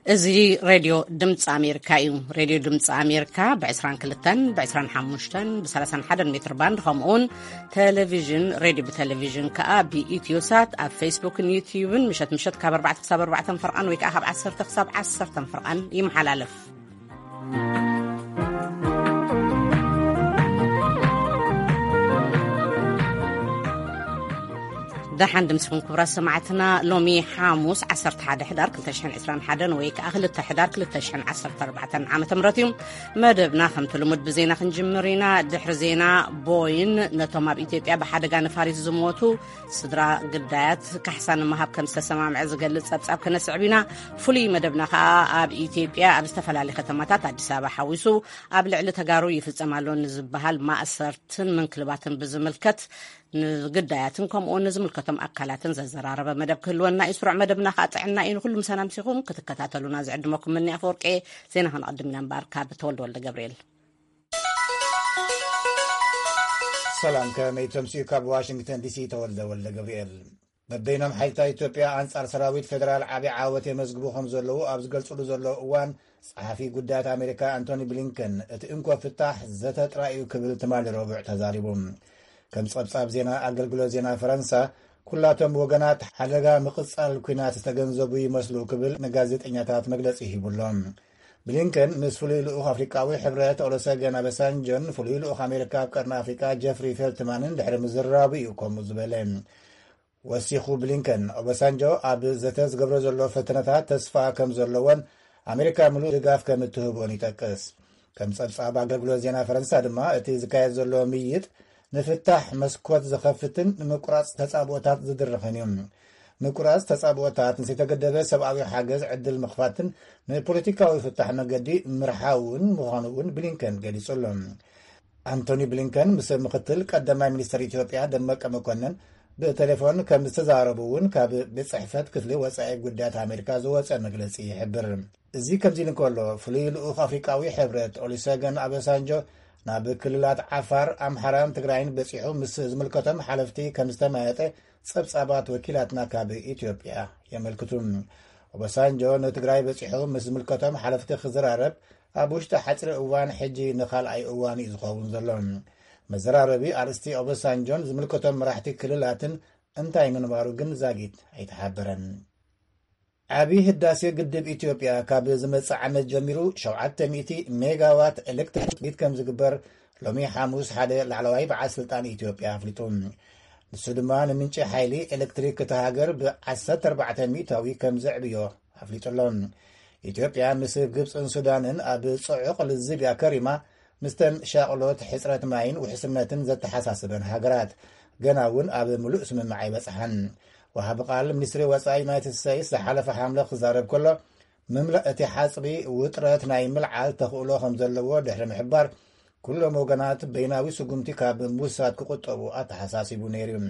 እዚ ሬድዮ ድምፂ ኣሜሪካ እዩ። ሬድዮ ድምፂ ኣሜሪካ ብ22፣ ብ25፣ ብ31 ሜትር ባንድ፣ ከምኡውን ቴሌቪዥን፣ ሬድዮ ብቴሌቪዥን ከኣ ብኢትዮሳት ኣብ ፌስቡክን ዩትዩብን ምሸት ምሸት ካብ ኣርባዕተ ክሳብ ኣርባዕተ ፈርቓን ወይ ከኣ ካብ ዓሰርተ ክሳብ ዓሰርተ ፈርቓን ይመሓላለፍ። ደሓን ድምስኹም ክቡራት ሰማዕትና። ሎሚ ሓሙስ ዓሰርተ ሓደ ሕዳር ክልተ ሽሕን ዕስራን ሓደን ወይ ከዓ ክልተ ሕዳር ክልተ ሽሕን ዓሰርተ ኣርባዕተን ዓመተ ምህረት እዩ። መደብና ከምቲ ልሙድ ብዜና ክንጅምር ኢና። ድሕሪ ዜና፣ ቦይን ነቶም ኣብ ኢትዮጵያ ብሓደጋ ነፋሪት ዝሞቱ ስድራ ግዳያት ካሕሳ ንምሃብ ከም ዝተሰማምዐ ዝገልጽ ጸብጻብ ከነስዕብ ኢና። ፍሉይ መደብና ከዓ ኣብ ኢትዮጵያ ኣብ ዝተፈላለዩ ከተማታት፣ ኣዲስ ኣበባ ሓዊሱ፣ ኣብ ልዕሊ ተጋሩ ይፍጸም ኣሎ ንዝበሃል ማእሰርትን ምንክልባትን ብዝምልከት ንግዳያትን ከምኡ እውን ንዝምልከቶም ኣካላትን ዘዘራረበ መደብ ክህልወና እዩ። ስሩዕ መደብና ከዓ ጥዕና እዩ። ንኩሉ ምሳና ምሲኹም ክትከታተሉና ዝዕድመኩም ምኒ ኣፈወርቂ። ዜና ከነቐድም ኢና እምበኣር ካብ ተወልደ ወልደ ገብርኤል። ሰላም፣ ከመይ ተምስኡ? ካብ ዋሽንግተን ዲሲ ተወልደ ወልደ ገብርኤል። በበይኖም ሓይልታት ኢትዮጵያ ኣንጻር ሰራዊት ፌደራል ዓቢ ዓወት የመዝግቡ ከም ዘለዉ ኣብ ዝገልጽሉ ዘለዉ እዋን፣ ጸሓፊ ጉዳያት ኣሜሪካ ኣንቶኒ ብሊንከን፣ እቲ እንኮ ፍታሕ ዘተ ጥራይ እዩ ክብል ትማሊ ረቡዕ ተዛሪቡ። ከም ጸብጻብ ዜና ኣገልግሎት ዜና ፈረንሳ፣ ኩላቶም ወገናት ሓደጋ ምቕጻል ኲናት ዝተገንዘቡ ይመስሉ ክብል ንጋዜጠኛታት መግለጺ ሂቡሎም። ብሊንከን ምስ ፍሉይ ልኡኽ ኣፍሪቃዊ ሕብረት ኦሎሰገን ኣበሳንጆን ፍሉይ ልኡኽ ኣሜሪካ ኣብ ቀርኒ ኣፍሪቃ ጀፍሪ ፌልትማንን ድሕሪ ምዝራቡ እዩ ከምኡ ዝበለ። ወሲኹ ብሊንከን፣ ኦባሳንጆ ኣብ ዘተ ዝገብሮ ዘሎ ፈተነታት ተስፋ ከም ዘለዎን ኣሜሪካ ምሉእ ድጋፍ ከም እትህቦን ይጠቅስ። ከም ጸብጻብ ኣገልግሎት ዜና ፈረንሳ ድማ፣ እቲ ዝካየድ ዘሎ ምይይጥ ንፍታሕ መስኮት ዝኸፍትን ንምቁራጽ ተጻብኦታት ዝድርኽን እዩ። ምቁራጽ ተጻብኦታት ንዘይተገደበ ሰብኣዊ ሓገዝ ዕድል ምኽፋትን ንፖለቲካዊ ፍታሕ መገዲ ምርሓውን ምዃኑ እውን ብሊንከን ገሊጹ ኣሎ። ኣንቶኒ ብሊንከን ምስ ምኽትል ቀዳማይ ሚኒስትር ኢትዮጵያ ደመቀ መኮንን ብቴሌፎን ከም ዝተዛረቡ እውን ካብ ቤት ጽሕፈት ክፍሊ ወጻኢ ጉዳያት ኣሜሪካ ዝወጸ መግለጺ ይሕብር። እዚ ከምዚ ኢሉ እንከሎ፣ ፍሉይ ልኡኽ ኣፍሪቃዊ ሕብረት ኦሉሰገን ኣበሳንጆ ናብ ክልላት ዓፋር፣ ኣምሓራን ትግራይን በጺሑ ምስ ዝምልከቶም ሓለፍቲ ከም ዝተመያየጠ ጸብጻባት ወኪላትና ካብ ኢትዮጵያ የመልክቱ። ኦባሳንጆ ንትግራይ በጺሑ ምስ ዝምልከቶም ሓለፍቲ ክዘራረብ ኣብ ውሽጢ ሓጺር እዋን፣ ሕጂ ንኻልኣይ እዋን እዩ ዝኸውን ዘሎ። መዘራረቢ ኣርእስቲ ኦባሳንጆን ዝምልከቶም መራሕቲ ክልላትን እንታይ ምንባሩ ግን ዛጊት ኣይተሓበረን። ዓቢ ህዳሴ ግድብ ኢትዮጵያ ካብ ዝመጽእ ዓመት ጀሚሩ ሸውዓተ ሚእቲ ሜጋዋት ኤሌክትሪክ ዲት ከም ዝግበር ሎሚ ሓሙስ ሓደ ላዕለዋይ በዓል ስልጣን ኢትዮጵያ ኣፍሊጡ። ንሱ ድማ ንምንጪ ሓይሊ ኤሌክትሪክ እታ ሃገር ብ14 ሚእታዊ ከም ዘዕብዮ ኣፍሊጡ ኣሎ። ኢትዮጵያ ምስ ግብጽን ሱዳንን ኣብ ጽዑቕ ልዝብ እያ ከሪማ፣ ምስተን ሻቕሎት ሕጽረት ማይን ውሕስነትን ዘተሓሳስበን ሃገራት። ገና እውን ኣብ ምሉእ ስምምዕ ኣይበጽሓን። ወሃቢ ቃል ሚኒስትሪ ወጻኢ ዩናይትድ ስቴትስ ዝሓለፈ ሓምለ ክዛረብ ከሎ፣ ምምላእ እቲ ሓጽቢ ውጥረት ናይ ምልዓል ተኽእሎ ከም ዘለዎ ድሕሪ ምሕባር፣ ኩሎም ወገናት በይናዊ ስጉምቲ ካብ ምውሳድ ክቁጠቡ ኣተሓሳሲቡ ነይሩ እዩ።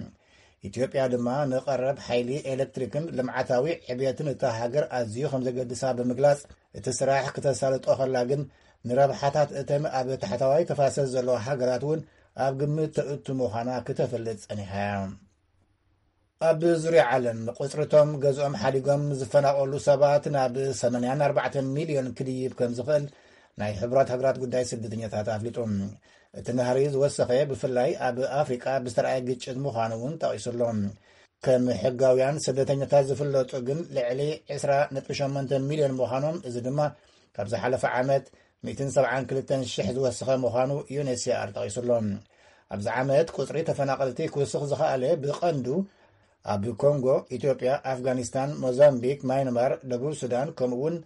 ኢትዮጵያ ድማ ንቐረብ ሓይሊ ኤሌክትሪክን ልምዓታዊ ዕብየትን እታ ሃገር ኣዝዩ ከም ዘገድሳ ብምግላጽ፣ እቲ ስራሕ ክተሳልጦ ከላ ግን ንረብሓታት እተን ኣብ ታሕተዋይ ተፋሰስ ዘለዋ ሃገራት እውን ኣብ ግምት ተእቱ ምዃና ክተፈልጥ ጸኒሓ እያ። ኣብ ዙርያ ዓለም ቁጽርቶም ገዝኦም ሓዲጎም ዝፈናቐሉ ሰባት ናብ ሰማንያን ኣርባዕተን ሚልዮን ክድይብ ከም ዝኽእል ናይ ሕቡራት ሃገራት ጉዳይ ስደተኛታት ኣፍሊጡ። እቲ ናህሪ ዝወሰኸ ብፍላይ ኣብ ኣፍሪቃ ብዝተረኣየ ግጭት ምዃኑ እውን ጠቒሱ ኣሎ። ከም ሕጋውያን ስደተኛታት ዝፍለጡ ግን ልዕሊ ዕስራ ነጥቢ ሸሞንተ ሚልዮን ምዃኖም፣ እዚ ድማ ካብ ዝሓለፈ ዓመት ሚእትን ሰብዓን ክልተን ሽሕ ዝወሰኸ ምዃኑ ዩኤንኤችሲኣር ጠቒሱ ኣሎ። ኣብዚ ዓመት ቁጽሪ ተፈናቐልቲ ክውስኽ ዝኸኣለ ብቐንዱ ኣብ ኮንጎ፣ ኢትዮጵያ፣ ኣፍጋኒስታን፣ ሞዛምቢክ፣ ማይንማር፣ ደቡብ ሱዳን፣ ከምኡ እውን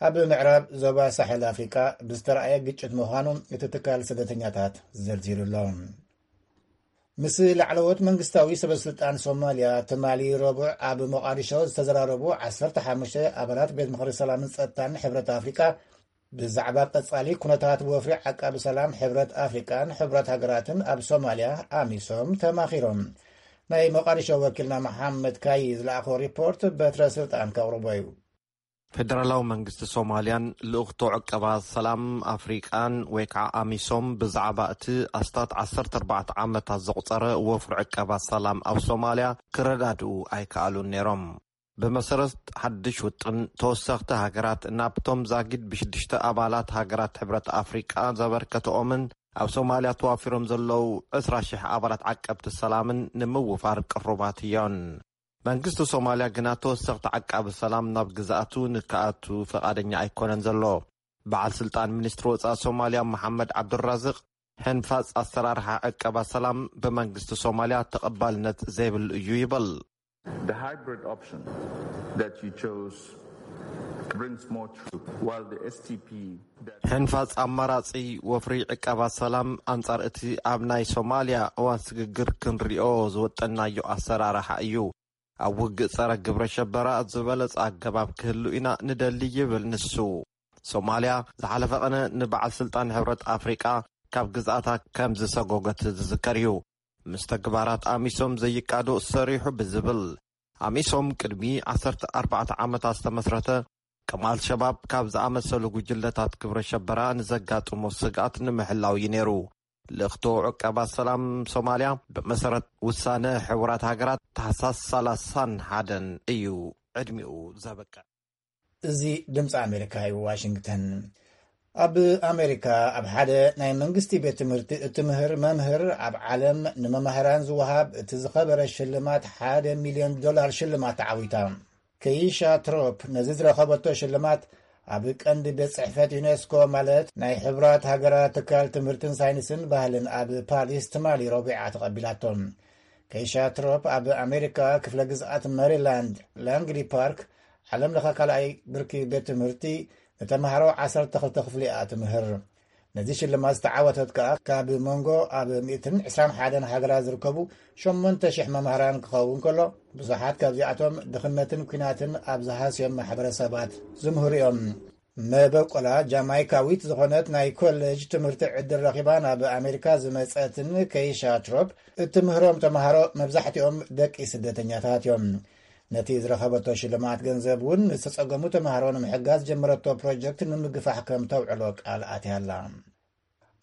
ኣብ ምዕራብ ዞባ ሳሕል ኣፍሪቃ ብዝተረኣየ ግጭት ምዃኑ እቲ ትካል ስደተኛታት ዘርዚሩ ኣሎ። ምስ ላዕለዎት መንግስታዊ ሰበስልጣን ሶማልያ ትማሊ ረቡዕ ኣብ ሞቓዲሾ ዝተዘራረቡ ዓሰርተ ሓሙሽተ ኣባላት ቤት ምኽሪ ሰላምን ጸጥታን ሕብረት ኣፍሪቃ ብዛዕባ ቀጻሊ ኩነታት ወፍሪ ዓቃቢ ሰላም ሕብረት ኣፍሪቃን ሕብረት ሃገራትን ኣብ ሶማልያ፣ ኣሚሶም፣ ተማኺሮም። ናይ ሞቓዲሾ ወኪልና መሓመድ ካይ ዝለኣኾ ሪፖርት በትረ ስልጣን ከቕርቦ እዩ። ፌደራላዊ መንግስቲ ሶማልያን ልኡኽቶ ዕቀባ ሰላም ኣፍሪቃን ወይ ከዓ ኣሚሶም ብዛዕባ እቲ ኣስታት ዓሰርተ ኣርባዕተ ዓመታት ዘቑጸረ ወፍሪ ዕቀባ ሰላም ኣብ ሶማልያ ክረዳድኡ ኣይከኣሉን ነይሮም። ብመሰረት ሓድሽ ውጥን፣ ተወሰኽቲ ሃገራት ናብቶም ዛጊድ ብሽዱሽተ ኣባላት ሃገራት ሕብረት ኣፍሪቃ ዘበርከተኦምን ኣብ ሶማልያ ተዋፊሮም ዘለዉ ዕስራ ሽሕ ኣባላት ዓቀብቲ ሰላምን ንምውፋር ቅሩባት እዮን። መንግስቲ ሶማልያ ግና ተወሰኽቲ ዓቃቢ ሰላም ናብ ግዝኣቱ ንክኣቱ ፈቓደኛ ኣይኮነን ዘሎ። በዓል ስልጣን ሚኒስትሪ ወጻኢ ሶማልያ መሓመድ ዓብዱራዝቅ፣ ሕንፋጽ ኣሰራርሓ ዕቀባ ሰላም ብመንግስቲ ሶማልያ ተቐባልነት ዘይብሉ እዩ ይብል። The hybrid option that you chose brings more truth, while the S T P that ሕንፋጽ ኣማራጺ ወፍሪ ዕቀባ ሰላም ኣንጻር እቲ ኣብ ናይ ሶማልያ እዋን ስግግር ክንሪኦ ዝወጠናዮ ኣሰራርሓ እዩ። ኣብ ውግእ ጸረ ግብረ ሸበራ ዝበለጸ ኣገባብ ክህሉ ኢና ንደሊ ይብል ንሱ። ሶማልያ ዝሓለፈ ቀነ ንበዓል ስልጣን ሕብረት ኣፍሪቃ ካብ ግዝኣታ ከም ዝሰጎገት ዝዝከር እዩ። ምስ ተግባራት ኣሚሶም ዘይቃዶ ሰሪሑ ብዝብል፣ ኣሚሶም ቅድሚ ዓሰርተ ኣርባዕተ ዓመታት ዝተመስረተ፣ ከም ኣልሸባብ ካብ ዝኣመሰሉ ጉጅለታት ግብረ ሸበራ ንዘጋጥሞ ስግኣት ንምሕላው እዩ ነይሩ። ልእኽቶ ዕቀባ ሰላም ሶማልያ ብመሰረት ውሳነ ሕቡራት ሃገራት ታሕሳስ ሰላሳን ሓደን እዩ ዕድሚኡ ዘበቅዕ። እዚ ድምፂ ኣሜሪካ እዩ። ዋሽንግተን። ኣብ ኣሜሪካ ኣብ ሓደ ናይ መንግስቲ ቤት ትምህርቲ እትምህር መምህር ኣብ ዓለም ንመማህራን ዝወሃብ እቲ ዝኸበረ ሽልማት ሓደ ሚልዮን ዶላር ሽልማት ተዓዊታ። ከይሻ ትሮፕ ነዚ ዝረኸበቶ ሽልማት ኣብ ቀንዲ ቤት ጽሕፈት ዩኔስኮ፣ ማለት ናይ ሕቡራት ሃገራት ትካል ትምህርትን ሳይንስን ባህልን ኣብ ፓሪስ ትማሊ ረቡዓ ተቐቢላቶ። ከይሻ ትሮፕ ኣብ ኣሜሪካ ክፍለ ግዝኣት መሪላንድ ላንግሊ ፓርክ ዓለም ለኸ ካልኣይ ብርኪ ቤት ትምህርቲ ንተምሃሮ ዓሰርተ ክልተ ክፍሊ እያ ትምህር። ነዚ ሽልማት ዝተዓወተት ከኣ ካብ መንጎ ኣብ ሚእትን ዕስራን ሓደን ሃገራት ዝርከቡ ሸሞንተ ሽሕ መምህራን ክኸውን ከሎ፣ ብዙሓት ካብዚኣቶም ድኽነትን ኲናትን ኣብ ዝሃስዮም ማሕበረሰባት ዝምህሩ እዮም። መበቆላ ጃማይካዊት ዝኾነት ናይ ኮሌጅ ትምህርቲ ዕድል ረኺባ ናብ ኣሜሪካ ዝመጸትን ከይሻ ትሮፕ እትምህሮም ተምሃሮ መብዛሕትኦም ደቂ ስደተኛታት እዮም። ነቲ ዝረኸበቶ ሽልማት ገንዘብ እውን ንዝተጸገሙ ተምሃሮ ንምሕጋዝ ጀመረቶ ፕሮጀክት ንምግፋሕ ከም ተውዕሎ ቃል ኣትያ ኣላ።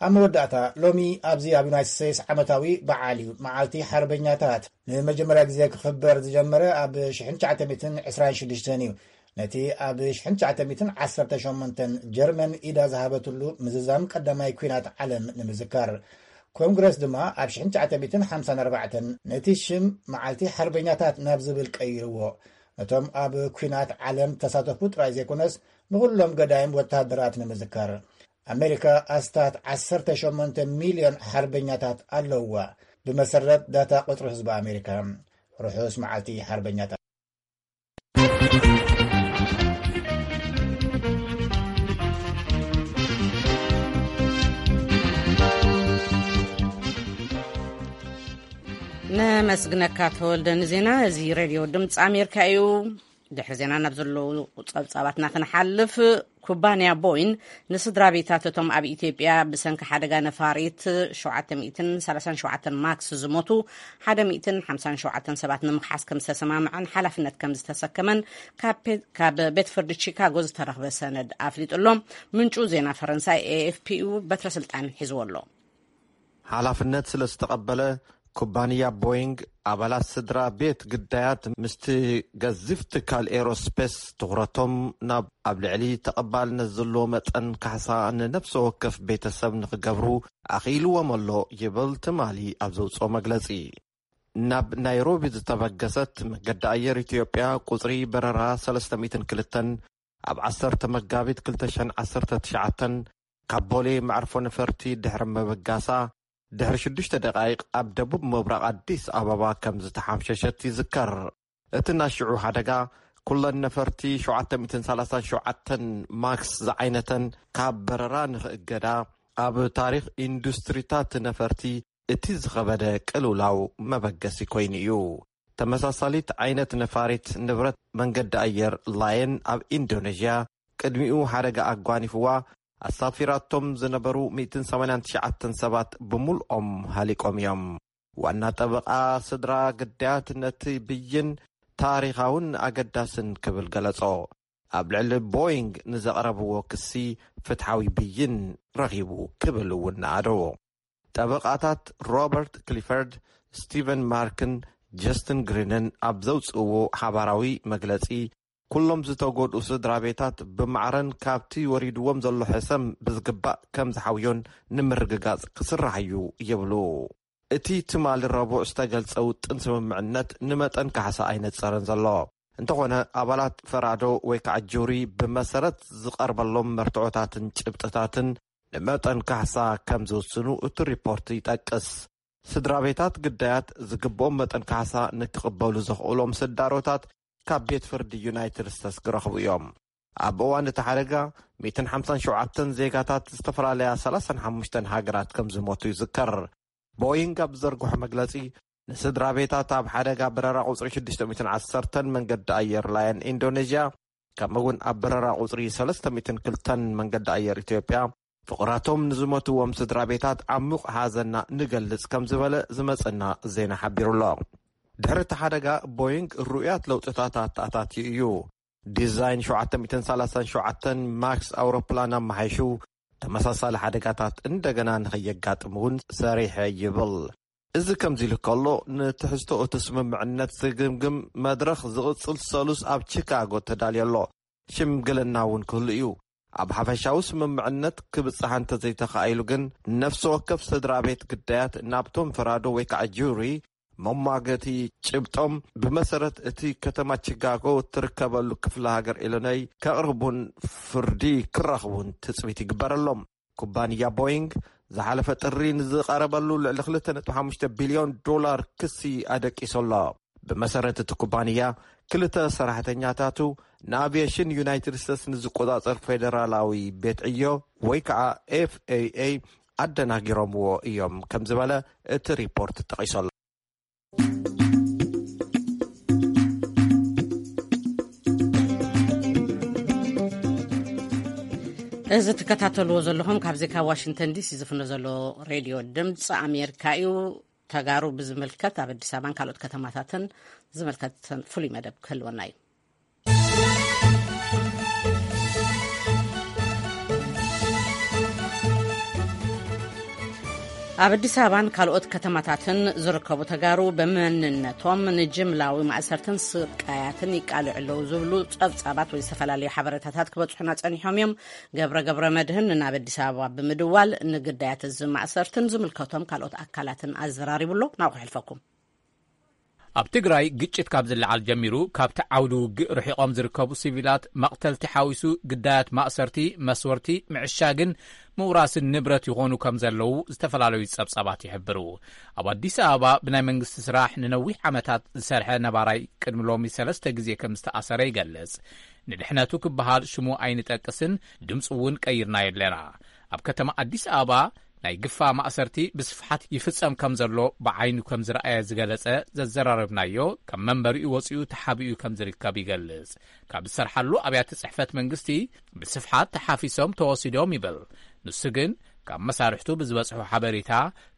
ኣብ መወዳእታ፣ ሎሚ ኣብዚ ኣብ ዩናይትድ ስቴትስ ዓመታዊ በዓል እዩ፣ መዓልቲ ሓርበኛታት። ንመጀመርያ ግዜ ክኽበር ዝጀመረ ኣብ ሽሕን ትሽዓተ ሚእትን ዕስራን ሽዱሽተን እዩ። ነቲ ኣብ ሽሕን ትሽዓተ ሚእትን ዓሰርተ ሸሞንተን ጀርመን ኢዳ ዝሃበትሉ ምዝዛም ቀዳማይ ኲናት ዓለም ንምዝካር። ኮንግረስ ድማ ኣብ ሽሕን ትሽዓተ ሚእትን ሓምሳን ኣርባዕተን ነቲ ሽም መዓልቲ ሓርበኛታት ናብ ዝብል ቀይርዎ። ነቶም ኣብ ኲናት ዓለም ተሳተፉ ጥራይ ዘይኮነስ፣ ንኹሎም ገዳይም ወተሃደራት ንምዝካር። ኣሜሪካ ኣስታት ዓሰርተ ሸሞንተ ሚልዮን ሓርበኛታት ኣለውዋ። ብመሰረት ዳታ ቁጽሪ ህዝቢ ኣሜሪካ። ርሑስ መዓልቲ ሓርበኛታት። ነመስግነካ ተወልደ ንዜና። እዚ ሬድዮ ድምፂ ኣሜሪካ እዩ። ድሕሪ ዜና ናብ ዘለዉ ጸብጻባትና ክንሓልፍ፣ ኩባንያ ቦይን ንስድራ ቤታት እቶም ኣብ ኢትዮጵያ ብሰንኪ ሓደጋ ነፋሪት ሸውዓተ ሚእትን ሰላሳን ሸውዓተን ማክስ ዝሞቱ ሓደ ሚእትን ሓምሳን ሸውዓተን ሰባት ንምኽሓስ ከም ዝተሰማምዐን ሓላፍነት ከም ዝተሰከመን ካብ ፔ- ካብ ቤት ፍርዲ ቺካጎ ዝተረኽበ ሰነድ ኣፍሊጡ ኣሎ። ምንጩ ዜና ፈረንሳይ ኤኤፍፒ እዩ። በትረ ስልጣን ሒዝዎ ኣሎ። ሓላፍነት ስለ ዝተቐበለ፣ ኩባንያ ቦይንግ ኣባላት ስድራ ቤት ግዳያት ምስቲ ገዚፍ ትካል ኤሮስፔስ ትኹረቶም ናብ ኣብ ልዕሊ ተቐባልነት ዘለዎ መጠን ካሕሳ ንነፍሲ ወከፍ ቤተሰብ ንኽገብሩ ኣኽኢልዎም ኣሎ ይብል ትማሊ ኣብ ዘውፅኦ መግለፂ። ናብ ናይሮቢ ዝተበገሰት መገዲ ኣየር ኢትዮጵያ ቁፅሪ በረራ ሰለስተ ሚእትን ክልተን ኣብ ዓሰርተ መጋቢት ክልተ ሸሕን ዓሰርተ ትሽዓተን ካብ ቦሌ መዕርፎ ነፈርቲ ድሕሪ ምብጋሳ፣ ድሕሪ ሽዱሽተ ደቃይቕ ኣብ ደቡብ ምብራቕ ኣዲስ ኣበባ ከም ዝተሓምሸሸት ይዝከር። እቲ ናይ ሽዑ ሓደጋ፣ ኩለን ነፈርቲ ሸውዓተ ሚእትን ሰላሳን ሸውዓተን ማክስ ዝዓይነተን ካብ በረራ ንኽእገዳ፣ ኣብ ታሪኽ ኢንዱስትሪታት ነፈርቲ እቲ ዝኸበደ ቅልውላው መበገሲ ኮይኑ እዩ። ተመሳሳሊት ዓይነት ነፋሪት ንብረት መንገዲ ኣየር ላየን ኣብ ኢንዶኔዥያ ቅድሚኡ ሓደጋ ኣጓኒፍዋ ኣሳፊራቶም ዝነበሩ ሚእትን ሰማንያን ትሽዓተን ሰባት ብምልኦም ሃሊቆም እዮም። ዋና ጠበቓ ስድራ ግዳያት ነቲ ብይን ታሪኻውን ኣገዳስን ክብል ገለጾ። ኣብ ልዕሊ ቦይንግ ንዘቕረብዎ ክሲ ፍትሓዊ ብይን ረኺቡ ክብል እውን ነኣደዎ። ጠበቓታት ሮበርት ክሊፈርድ፣ ስቲቨን ማርክን ጀስትን ግሪንን ኣብ ዘውፅእዎ ሓባራዊ መግለፂ፣ ኩሎም ዝተጎድኡ ስድራ ቤታት ብማዕረን ካብቲ ወሪድዎም ዘሎ ሕሰም ብዝግባእ ከም ዝሓውዮን ንምርግጋፅ ክስራሕ እዩ ይብሉ። እቲ ትማሊ ረቡዕ ዝተገልጸ ውጥን ስምምዕነት ንመጠን ካሕሳ ኣይነጸረን ዘሎ። እንተኾነ፣ ኣባላት ፈራዶ ወይ ከዓ ጁሪ ብመሰረት ዝቐርበሎም መርትዖታትን ጭብጥታትን ንመጠን ካሕሳ ከም ዝውስኑ እቲ ሪፖርት ይጠቅስ። ስድራ ቤታት ግዳያት ዝግብኦም መጠን ካሕሳ ንክቕበሉ ዘኽእሎም ስዳሮታት ካብ ቤት ፍርዲ ዩናይትድ ስቴትስ ክረኽቡ እዮም። ኣብ እዋን እቲ ሓደጋ፣ ሚእትን ሓምሳን ሸውዓተን ዜጋታት ዝተፈላለያ ሰላሳን ሓሙሽተን ሃገራት ከም ዝሞቱ ይዝከር። ቦይንግ ኣብ ዝዘርግሖ መግለጺ፣ ንስድራ ቤታት ኣብ ሓደጋ በረራ ቁጽሪ ሽዱሽተ ሚእትን ዓሰርተን መንገዲ ኣየር ላየን ኢንዶኔዥያ፣ ከምኡ እውን ኣብ በረራ ቁጽሪ ሰለስተ ሚእትን ክልተን መንገዲ ኣየር ኢትዮጵያ፣ ፍቑራቶም ንዝሞትዎም ስድራ ቤታት ዓሙቕ ሓዘና ንገልጽ ከም ዝበለ ዝመጸና ዜና ሓቢሩ ኣሎ። ድሕሪ እቲ ሓደጋ፣ ቦይንግ ርኡያት ለውጥታት ኣተኣታትዩ እዩ። ዲዛይን ሸውዓተ ሚእትን ሰላሳን ሸውዓተን ማክስ ኣውሮፕላን ኣመሓይሹ፣ ተመሳሳሊ ሓደጋታት እንደገና ንኸየጋጥም እውን ሰሪሐ ይብል። እዚ ከምዚ ኢሉ ከሎ፣ ንትሕዝቶ እቲ ስምምዕነት ዝግምግም መድረኽ ዝቕጽል ሰሉስ ኣብ ቺካጎ ተዳልዮ ኣሎ። ሽምግልና እውን ክህሉ እዩ። ኣብ ሓፈሻዊ ስምምዕነት ክብጽሕ እንተዘይተኻኢሉ ግን፣ ነፍሲ ወከፍ ስድራ ቤት ግዳያት ናብቶም ፈራዶ ወይ ከዓ ጁሪ መሟገቲ ጭብጦም ብመሰረት እቲ ከተማ ቺካጎ እትርከበሉ ክፍለ ሃገር ኢሎኖይ ከቕርቡን ፍርዲ ክረኽቡን ትጽቢት ይግበረሎም። ኩባንያ ቦይንግ ዝሓለፈ ጥሪ ንዝቐረበሉ ልዕሊ ክልተ ነጥቢ ሓሙሽተ ቢልዮን ዶላር ክሲ ኣደቂሱ ኣሎ። ብመሰረት እቲ ኩባንያ፣ ክልተ ሰራሕተኛታቱ ንኣቪየሽን ዩናይትድ ስቴትስ ንዝቆጻጸር ፌደራላዊ ቤት ዕዮ ወይ ከዓ ኤፍ ኤ ኤ ኣደናጊሮምዎ እዮም ከም ዝበለ እቲ ሪፖርት ጠቒሱ ኣሎ። እዚ ትከታተልዎ ዘለኹም ካብዚ ካብ ዋሽንግተን ዲሲ ዝፍኖ ዘሎ ሬድዮ ድምፂ ኣሜሪካ እዩ። ተጋሩ ብዝምልከት ኣብ ኣዲስ ኣበባን ካልኦት ከተማታትን ዝምልከት ፍሉይ መደብ ክህልወና እዩ። ኣብ ኣዲስ ኣበባን ካልኦት ከተማታትን ዝርከቡ ተጋሩ ብመንነቶም ንጅምላዊ ማእሰርትን ስቃያትን ይቃልዑ ኣለዉ ዝብሉ ጸብጻባት ወይ ዝተፈላለዩ ሓበሬታታት ክበጽሑና ጸኒሖም እዮም። ገብረ ገብረ መድህን ናብ ኣዲስ ኣበባ ብምድዋል ንግዳያት እዚ ማእሰርትን ዝምልከቶም ካልኦት ኣካላትን ኣዘራሪቡ ኣሎ። ናብኡ ክሕልፈኩም። ኣብ ትግራይ ግጭት ካብ ዝለዓል ጀሚሩ፣ ካብቲ ዓውዲ ውግእ ርሒቖም ዝርከቡ ሲቪላት መቕተልቲ ሓዊሱ ግዳያት ማእሰርቲ፣ መስወርቲ፣ ምዕሻግን ምውራስን ንብረት ይኾኑ ከም ዘለዉ ዝተፈላለዩ ጸብጻባት ይሕብሩ። ኣብ ኣዲስ ኣበባ ብናይ መንግስቲ ስራሕ ንነዊሕ ዓመታት ዝሰርሐ ነባራይ ቅድሚ ሎሚ ሰለስተ ግዜ ከም ዝተኣሰረ ይገልጽ። ንድሕነቱ ክበሃል ሽሙ ኣይንጠቅስን፣ ድምፂ እውን ቀይርናዮ ኣለና። ኣብ ከተማ ኣዲስ ኣበባ ናይ ግፋ ማእሰርቲ ብስፍሓት ይፍጸም ከም ዘሎ ብዓይኑ ከም ዝረኣየ ዝገለጸ ዘዘራረብናዮ፣ ካብ መንበሪኡ ወጺኡ ተሓቢኡ ከም ዝርከብ ይገልጽ። ካብ ዝሰርሓሉ ኣብያተ ጽሕፈት መንግስቲ ብስፍሓት ተሓፊሶም ተወሲዶም ይብል። ንሱ ግን ካብ መሳርሕቱ ብዝበጽሖ ሓበሬታ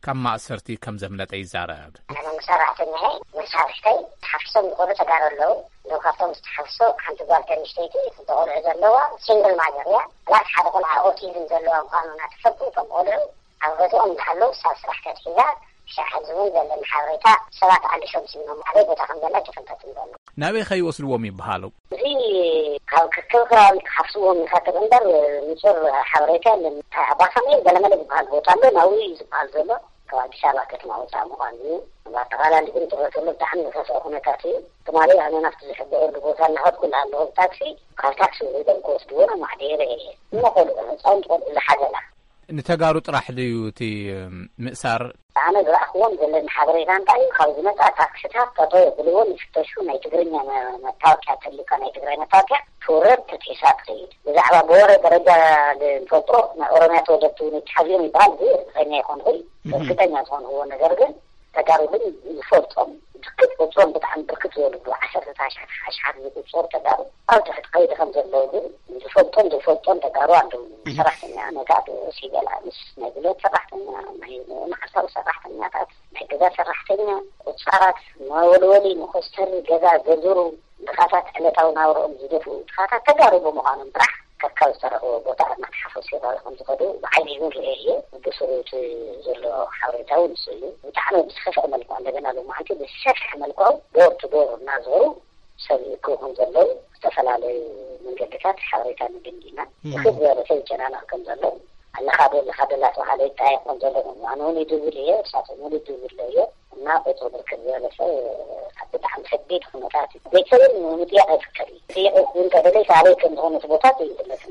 ካብ ማእሰርቲ ከም ዘምለጠ ይዛረብ። ኣነ ሰራሕተኛ እየ። መሳርሕተይ ተሓፊሶም ዝኾኑ ተጋሩ ኣለዉ። እዞም ካብቶም ዝተሓፍሱ ሓንቲ ጓል ተንሽተይቲ፣ ክልተ ቆልዑ ዘለዋ ሲንግል ማዘር እያ። ፕላስ ሓደ ቆልዓ ኦቲዝም ዘለዋ ምዃኑ እናተፈልጡ፣ እቶም ቆልዑ ኣብ ገዝኦም እንዳሃለዉ ክሳብ ስራሕ ተትሒዛ፣ ክሻዕ ሕዚ እውን ዘለኒ ሓበሬታ ሰባት ኣልሾም ስሞም ኣበይ ቦታ ከም ዘላ ኣይተፈልጠትን ዘሎ። ናበይ ከይወስድዎም ይበሃሉ? እዚ ካብ ክልክል ከባቢ ክሓፍስዎም ይኸትል እምበር ንጹር ሓበሬታ የለን። ኣባሳሜን ገለመለ ዝበሃል ቦታ ኣሎ፣ ናብኡ እዩ ዝበሃል ዘሎ። ካብ ኣዲስ ኣበባ ከተማ ወፃእ ምዃኑ እዩ። ብኣጠቓላሊ ግን ትረተሎ ብጣዕሚ ዝኸፍአ ኩነታት እዩ። ትማሊ ኣነ ናብቲ ዝሕበረሉ ቦታ እናኸድኩ እናሃለኹ ብታክሲ፣ ካብ ታክሲ ወሪዶም ክወስድዎ ነው ማዕደየረ እየ። እሞ ቆልዑ፣ ህፃውንቲ ቆልዑ ዝሓዘላ። ንተጋሩ ጥራሕ ድዩ እቲ ምእሳር? ኣነ ዝረኣኽዎም ዘለኒ ሓበሬታ እንታይ እዩ? ካብ ዝመፃ ታክስታት ጠጠው የብልዎን፣ ይፍተሹ። ናይ ትግርኛ መ-፣ መታወቂያ ተልዩካ፣ ናይ ትግራይ መታወቂያ ትውረድ፣ ተትሒሳ ትኸይድ። ብዛዕባ ብወረ ደረጃ ዝፈልጦ ናይ ኦሮምያ ተወለድቲ እውን ይተሓዝዮም ይበሃል። እዚ እርግጠኛ ኣይኮንኩን። እርግጠኛ ዝኾንኩዎ ነገር ግን ተጋሩ ግን ዝፈልጦም ብርክት ቁፅሮም ብጣዕሚ ብርክት ዝበሉ ብዓሰርተታት ኣሽሓት ዝቁፀሩ ተጋሩ ኣብ ትሕቲ ቀይዲ ከም ዘለዉ ግን ዝፈልጦም ዘይፈልጦም ተጋሩ ኣለዉ። ሰራሕተኛ ነጋዶ፣ ሲቪል ኣምስ፣ ናይ ጉልበት ሰራሕተኛ፣ ናይ መዓልታዊ ሰራሕተኛታት፣ ናይ ገዛ ሰራሕተኛ፣ ቁፃራት፣ መወልወሊ፣ መኮስተሪ፣ ገዛ ዘዝሩ፣ ድኻታት ዕለታዊ ናብርኦም ዝደፍኡ ድኻታት ተጋሩ ብምዃኖም ጥራሕ ከካብ ዝተረኽቦ ቦታ እናተሓፈሱ ይረኣዩ ከም ዝኸዱ ብዓይኒ እውን ርእየ እየ። ብስሩ እቲ ዘሎ ሓበሬታ እውን ንሱ እዩ። ብጣዕሚ ብዝኸፍአ መልክዑ፣ እንደገና ሎማዓንቲ ብዝሰፍሐ መልክዑ ዶር ቱ ዶር እናዞሩ ሰብ ይእክቡ ከም ዘለዉ ዝተፈላለዩ መንገድታት ሓበሬታ ንግንዲ ኢና። ብክብ ዝበለ ሰብ ይጨናነቕ ከም ዘሎ፣ ኣለኻ ዶ ኣለኻ ዶ እናተባሃለ ይጠያየቕ ከም ዘሎ፣ ኣነ እውን ይድውል እየ፣ እሳቶም እውን ይድውል እየ። እና ቁፅሩ ብርክት ዝበለ ሰብ ኣብ ብጣዕሚ ከቢድ ኩነታት እዩ። ቤተሰብን ምጥያቕ ኣይፍቀድ እዩ። ጥያቄ እውን ከደለይ ካበይ ከም ዝኾነ እቲ ቦታ ይፍለጥ።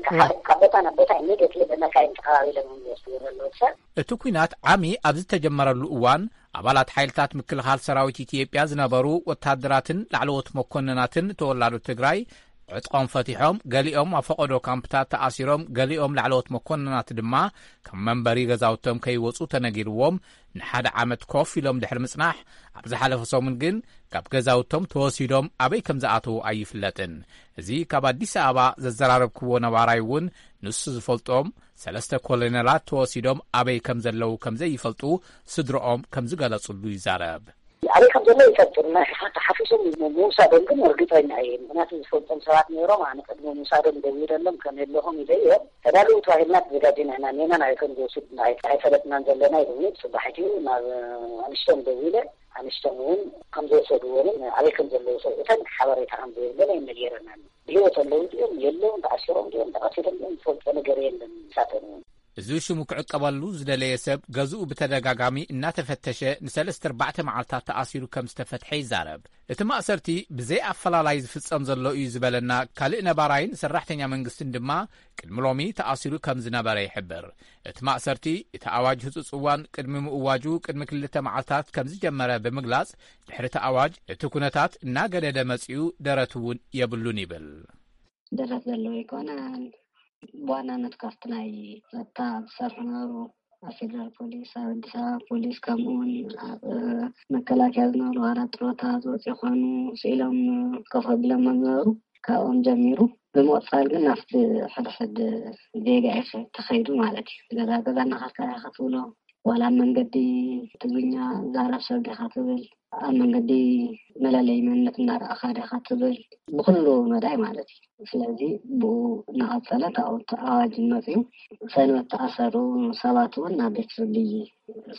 ካብ ቦታ ናብ ቦታ ኢሚዲየትሊ ብመካይን ተኸባቢሎም እዮም ዝወስዱ ዘለዉ ሰብ። እቲ ኲናት ዓሚ ኣብ ዝተጀመረሉ እዋን ኣባላት ሓይልታት ምክልኻል ሰራዊት ኢትዮጵያ ዝነበሩ ወታደራትን ላዕለዎት መኮንናትን ተወላዶ ትግራይ ዕጥቆም ፈቲሖም፣ ገሊኦም ኣብ ፈቐዶ ካምፕታት ተኣሲሮም፣ ገሊኦም ላዕለዎት መኮንናት ድማ ካብ መንበሪ ገዛውቶም ከይወፁ ተነጊርዎም ንሓደ ዓመት ኮፍ ኢሎም ድሕሪ ምጽናሕ፣ ኣብ ዝሓለፈ ሰሙን ግን ካብ ገዛውቶም ተወሲዶም ኣበይ ከም ዝኣተዉ ኣይፍለጥን። እዚ ካብ ኣዲስ ኣበባ ዘዘራረብክዎ ነባራይ እውን ንሱ ዝፈልጦም ሰለስተ ኮሎኔላት ተወሲዶም ኣበይ ከም ዘለዉ ከም ዘይፈልጡ ስድረኦም ከም ዝገለጹሉ ይዛረብ። ኣበይ ከም ዘሎ ይፈልጡ። ተሓፊሶም ምውሳዶም ግን እርግጠኛ እየ። ምክንያቱ ዝፈልጦም ሰባት ነይሮም። ኣነ ቅድሚ ምውሳዶም ደዊለሎም ከም የለኹም ኢለ እየ። ተዳለዉ ተባሂልና ተዘጋጅና ኢና። ኔና ናይ ከም ዝወስድ ኣይፈለጥናን ዘለና ኢሉኒ። ጽባሒቲ ናብ ኣንሽቶም ደዊለ፣ ኣንሽቶም እውን ከም ዝወሰድዎምን ኣበይ ከም ዘለዉ ሰብኡተን ሓበሬታ ከም ዘየብለን ኣይነገረናን። ብህይወት ኣለዉ ድዮም የለውን፣ ተኣሲሮም ድዮም፣ ተቐቲሎም ድዮም ዝፈልጦ ነገር የለን። ንሳቶም እውን። እዚ ሽሙ ክዕቀበሉ ዝደለየ ሰብ ገዝኡ ብተደጋጋሚ እናተፈተሸ ንሰለስተ ኣርባዕተ መዓልታት ተኣሲሩ ከም ዝተፈትሐ ይዛረብ። እቲ ማእሰርቲ ብዘይ ኣፈላላይ ዝፍጸም ዘሎ እዩ ዝበለና ካልእ ነባራይን ሰራሕተኛ መንግስትን ድማ ቅድሚ ሎሚ ተኣሲሩ ከም ዝነበረ ይሕብር። እቲ ማእሰርቲ እቲ ኣዋጅ ህጹጽ እዋን ቅድሚ ምእዋጁ ቅድሚ ክልተ መዓልታት ከም ዝጀመረ ብምግላጽ፣ ድሕሪ እቲ ኣዋጅ እቲ ኩነታት እናገደደ መጺኡ ደረት እውን የብሉን ይብል። ደረት ዘለዎ ኣይኮነን። ብዋናነት ካብቲ ናይ ጸጥታ ዝሰርሑ ነበሩ፣ ኣብ ፌደራል ፖሊስ፣ ኣብ ኣዲስ ኣበባ ፖሊስ፣ ከምኡ እውን ኣብ መከላከያ ዝነበሩ ዋላ ጥሮታ ዝወፁ ይኾኑ፣ ስኢሎም ኮፍ ኣቢሎም ዝነበሩ፣ ካብኦም ጀሚሩ ብምቕፃል ግን ናብቲ ሕድሕድ ዜጋ እዩ ተኸይዱ ማለት እዩ። ገዛ ገዛ እናኸድካ ኢኻ ክትብሎ፣ ዋላ ኣብ መንገዲ ትግርኛ ዛረብ ሰብ ዲኻ ትብል፣ ኣብ መንገዲ መለለይ መንነት እናረኣኻ ዲኻ ትብል፣ ብኩሉ መዳይ ማለት እዩ። ስለዚ ብኡ እናቐፀለ ካብኡ እቲ ኣዋጅ መፅዩ፣ ሰንበት ተኣሰሩ ሰባት እውን ናብ ቤት ፍርዲ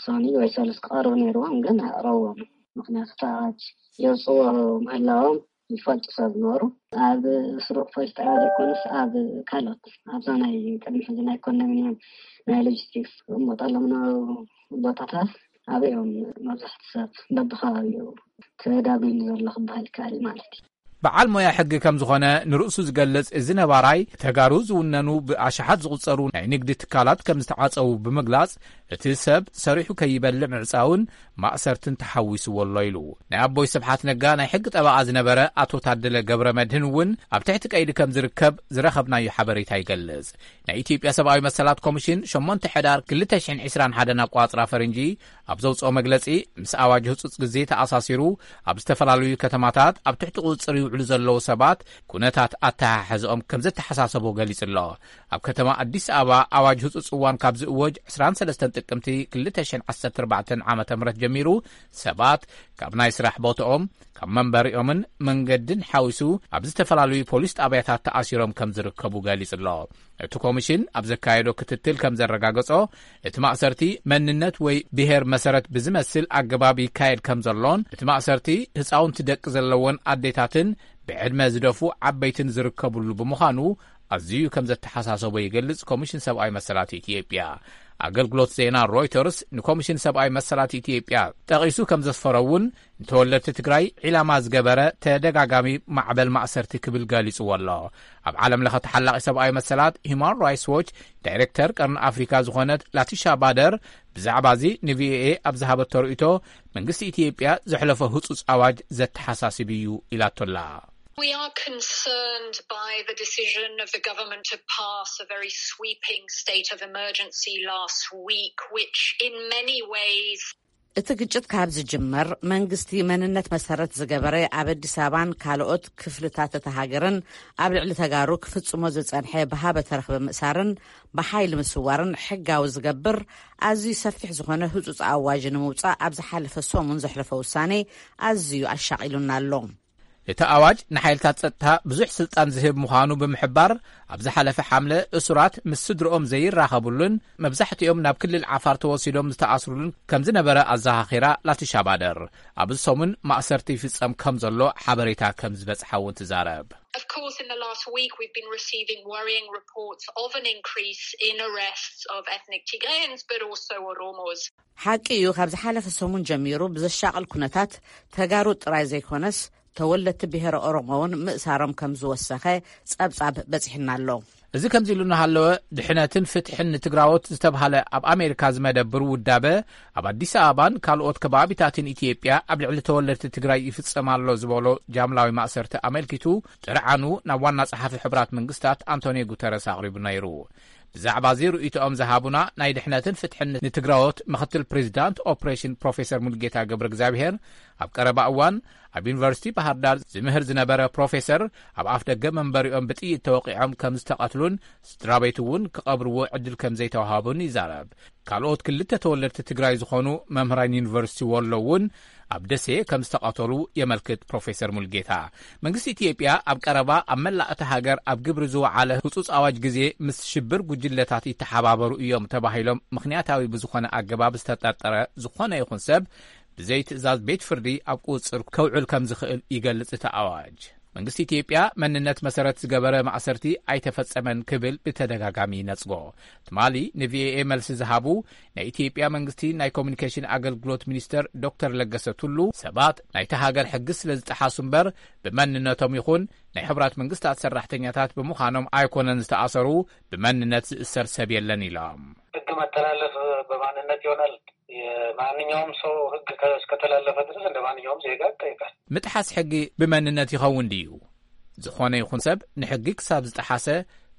ሶኒ ወይ ሰሉስ ክቐርቡ ነይርዎም፣ ግን ኣቕረብዎም። ምክንያቱ እቲ ኣዋጅ የውፅዎ ምህላዎም ይፈልጡ ሰብ ነበሩ። ኣብ ስሩዕ ፖሊስ ጣብያ ዘይኮነስ ኣብ ካልኦት ኣብዛ ናይ ቅድሚ ሕዚ ናይ ኮንዶሚኒየም ናይ ሎጂስቲክስ ክቕመጠሎም ነበሩ ቦታታት ኣበዮም መብዛሕቲ ሰብ በብኸባቢኡ ተዳጒኑ ዘሎ ክበሃል ይከኣል እዩ ማለት እዩ። በዓል ሞያ ሕጊ ከም ዝኾነ ንርእሱ ዝገልጽ እዚ ነባራይ፣ ተጋሩ ዝውነኑ ብኣሽሓት ዝቑጸሩ ናይ ንግዲ ትካላት ከም ዝተዓጸዉ ብምግላጽ፣ እቲ ሰብ ሰሪሑ ከይበልዕ ምዕጻውን ማእሰርትን ተሓዊስዎ ኣሎ ኢሉ። ናይ ኣቦይ ስብሓት ነጋ ናይ ሕጊ ጠበቓ ዝነበረ ኣቶ ታደለ ገብረ መድህን እውን ኣብ ትሕቲ ቀይዲ ከም ዝርከብ ዝረኸብናዮ ሓበሬታ ይገልጽ። ናይ ኢትዮጵያ ሰብኣዊ መሰላት ኮሚሽን ሸሞንተ ሕዳር ክልተ ሽሕን ዕስራን ሓደን ኣቋጽራ ፈረንጂ ኣብ ዘውጽኦ መግለጺ፣ ምስ ኣዋጅ ህጹጽ ግዜ ተኣሳሲሩ ኣብ ዝተፈላለዩ ከተማታት ኣብ ትሕቲ ቁጽጽር ይውዕሉ ዘለዉ ሰባት ኩነታት ኣተሓሕዝኦም ከም ዘተሓሳሰቦ ገሊጹ ኣሎ። ኣብ ከተማ ኣዲስ ኣበባ ኣዋጅ ህጹጽ እዋን ካብ ዝእወጅ ዕስራን ሰለስተን ጥቅምቲ ክልተ ሽሕን ዓሰርተ ኣርባዕተን ዓመተ ምህረት ጀሚሩ ሰባት ካብ ናይ ስራሕ ቦታኦም፣ ካብ መንበሪኦምን መንገድን ሓዊሱ ኣብ ዝተፈላለዩ ፖሊስ ጣብያታት ተኣሲሮም ከም ዝርከቡ ገሊጹ ኣሎ። እቲ ኮሚሽን ኣብ ዘካየዶ ክትትል ከም ዘረጋገጾ፣ እቲ ማእሰርቲ መንነት ወይ ብሄር መሰረት ብዝመስል ኣገባብ ይካየድ ከም ዘሎን፣ እቲ ማእሰርቲ ህፃውንቲ ደቂ ዘለዎን ኣዴታትን ብዕድመ ዝደፉ ዓበይትን ዝርከብሉ ብምዃኑ፣ ኣዝዩ ከም ዘተሓሳሰቦ ይገልጽ ኮሚሽን ሰብኣዊ መሰላት ኢትዮጵያ። ኣገልግሎት ዜና ሮይተርስ ንኮሚሽን ሰብኣዊ መሰላት ኢትዮጵያ ጠቒሱ ከም ዘስፈሮ እውን፣ ንተወለድቲ ትግራይ ዒላማ ዝገበረ ተደጋጋሚ ማዕበል ማእሰርቲ ክብል ገሊጽዎ ኣሎ። ኣብ ዓለም ለኸ ተሓላቒ ሰብኣዊ መሰላት ሂማን ራይትስ ዎች ዳይሬክተር ቀርኒ ኣፍሪካ ዝኾነት ላቲሻ ባደር ብዛዕባ እዚ ንቪኦኤ ኣብ ዝሃበቶ ርእይቶ፣ መንግስቲ ኢትዮጵያ ዘሕለፎ ህጹጽ ኣዋጅ ዘተሓሳስብ እዩ ኢላቶላ። We are concerned by the decision of the government to pass a very sweeping state of emergency last week, which in many ways እቲ ግጭት ካብ ዝጅመር፣ መንግስቲ መንነት መሰረት ዝገበረ ኣብ ኣዲስ ኣበባን ካልኦት ክፍልታት እታ ሃገርን ኣብ ልዕሊ ተጋሩ ክፍጽሞ ዝጸንሐ ብሃበ ተረኽበ ምእሳርን ብሓይሊ ምስዋርን ሕጋዊ ዝገብር ኣዝዩ ሰፊሕ ዝኾነ ህጹጽ ኣዋጅ ንምውጻእ ኣብ ዝሓለፈ ሰሙን ዘሕለፎ ውሳኔ ኣዝዩ ኣሻቒሉና ኣሎ። እቲ ኣዋጅ ንሓይልታት ጸጥታ ብዙሕ ስልጣን ዝህብ ምዃኑ ብምሕባር፣ ኣብ ዝሓለፈ ሓምለ እሱራት ምስ ስድርኦም ዘይራኸቡሉን መብዛሕትኦም ናብ ክልል ዓፋር ተወሲዶም ዝተኣስሩሉን ከም ዝነበረ ኣዘኻኺራ ላቲሻ ባደር። ኣብዚ ሰሙን ማእሰርቲ ይፍጸም ከም ዘሎ ሓበሬታ ከም ዝበጽሓ እውን ትዛረብ። Of course, in the last week, we've been receiving worrying reports of an increase in arrests of ethnic Tigrayans, but also Oromos. ሓቂ እዩ፣ ካብ ዝሓለፈ ሰሙን ጀሚሩ ብዘሻቕል ኩነታት ተጋሩ ጥራይ ዘይኮነስ ተወለድቲ ብሄረ ኦሮሞ እውን ምእሳሮም ከም ዝወሰኸ ጸብጻብ በጺሕና ኣሎ። እዚ ከምዚ ኢሉ እናሃለወ፣ ድሕነትን ፍትሕን ንትግራዎት ዝተብሃለ ኣብ ኣሜሪካ ዝመደብር ውዳበ፣ ኣብ ኣዲስ ኣበባን ካልኦት ከባቢታትን ኢትዮጵያ ኣብ ልዕሊ ተወለድቲ ትግራይ ይፍጸም ኣሎ ዝበሎ ጃምላዊ ማእሰርቲ ኣመልኪቱ ጥርዓኑ ናብ ዋና ጸሓፊ ሕቡራት መንግስታት ኣንቶኒዮ ጉተረስ ኣቕሪቡ ነይሩ። ብዛዕባ እዚ ርእይቶኦም ዝሃቡና ናይ ድሕነትን ፍትሕን ንትግራዎት ምኽትል ፕሬዚዳንት ኦፕሬሽን ፕሮፌሰር ሙልጌታ ገብረ እግዚኣብሔር፣ ኣብ ቀረባ እዋን ኣብ ዩኒቨርሲቲ ባህር ዳር ዝምህር ዝነበረ ፕሮፌሰር፣ ኣብ ኣፍ ደገ መንበሪኦም ብጥይት ተወቒዖም ከም ዝተቐትሉን ስድራ ቤት እውን ክቐብርዎ ዕድል ከም ዘይተዋሃቡን ይዛረብ። ካልኦት ክልተ ተወለድቲ ትግራይ ዝኾኑ መምህራን ዩኒቨርሲቲ ወሎ እውን ኣብ ደሴ ከም ዝተቐተሉ የመልክት ፕሮፌሰር ሙልጌታ። መንግስቲ ኢትዮጵያ ኣብ ቀረባ ኣብ መላእ እታ ሃገር ኣብ ግብሪ ዝወዓለ ህጹጽ ኣዋጅ ግዜ ምስ ሽብር ጉጅለታት ይተሓባበሩ እዮም ተባሂሎም ምኽንያታዊ ብዝኾነ ኣገባብ ዝተጠርጠረ ዝኾነ ይኹን ሰብ ብዘይ ትእዛዝ ቤት ፍርዲ ኣብ ቁጽጽር ከውዕል ከም ዝኽእል ይገልጽ እቲ ኣዋጅ። መንግስቲ ኢትዮጵያ መንነት መሰረት ዝገበረ ማእሰርቲ ኣይተፈጸመን ክብል ብተደጋጋሚ ይነጽጎ። ትማሊ ንቪኦኤ መልሲ ዝሃቡ ናይ ኢትዮጵያ መንግስቲ ናይ ኮሚኒኬሽን ኣገልግሎት ሚኒስተር ዶክተር ለገሰ ቱሉ፣ ሰባት ናይታ ሃገር ሕጊ ስለ ዝጠሓሱ እምበር ብመንነቶም ይኹን ናይ ሕቡራት መንግስታት ሰራሕተኛታት ብምዃኖም ኣይኮነን ዝተኣሰሩ፣ ብመንነት ዝእሰር ሰብ የለን ኢሎም። ሕግ መተላለፍ በማንነት ይሆናል። የማንኛውም ሰው ሕግ ከ-፣ እስከተላለፈ ድረስ እንደ ማንኛውም ዜጋ ይጠይቃል። ምጥሓስ ሕጊ ብመንነት ይኸውን ድዩ? ዝኾነ ይኹን ሰብ ንሕጊ ክሳብ ዝጠሓሰ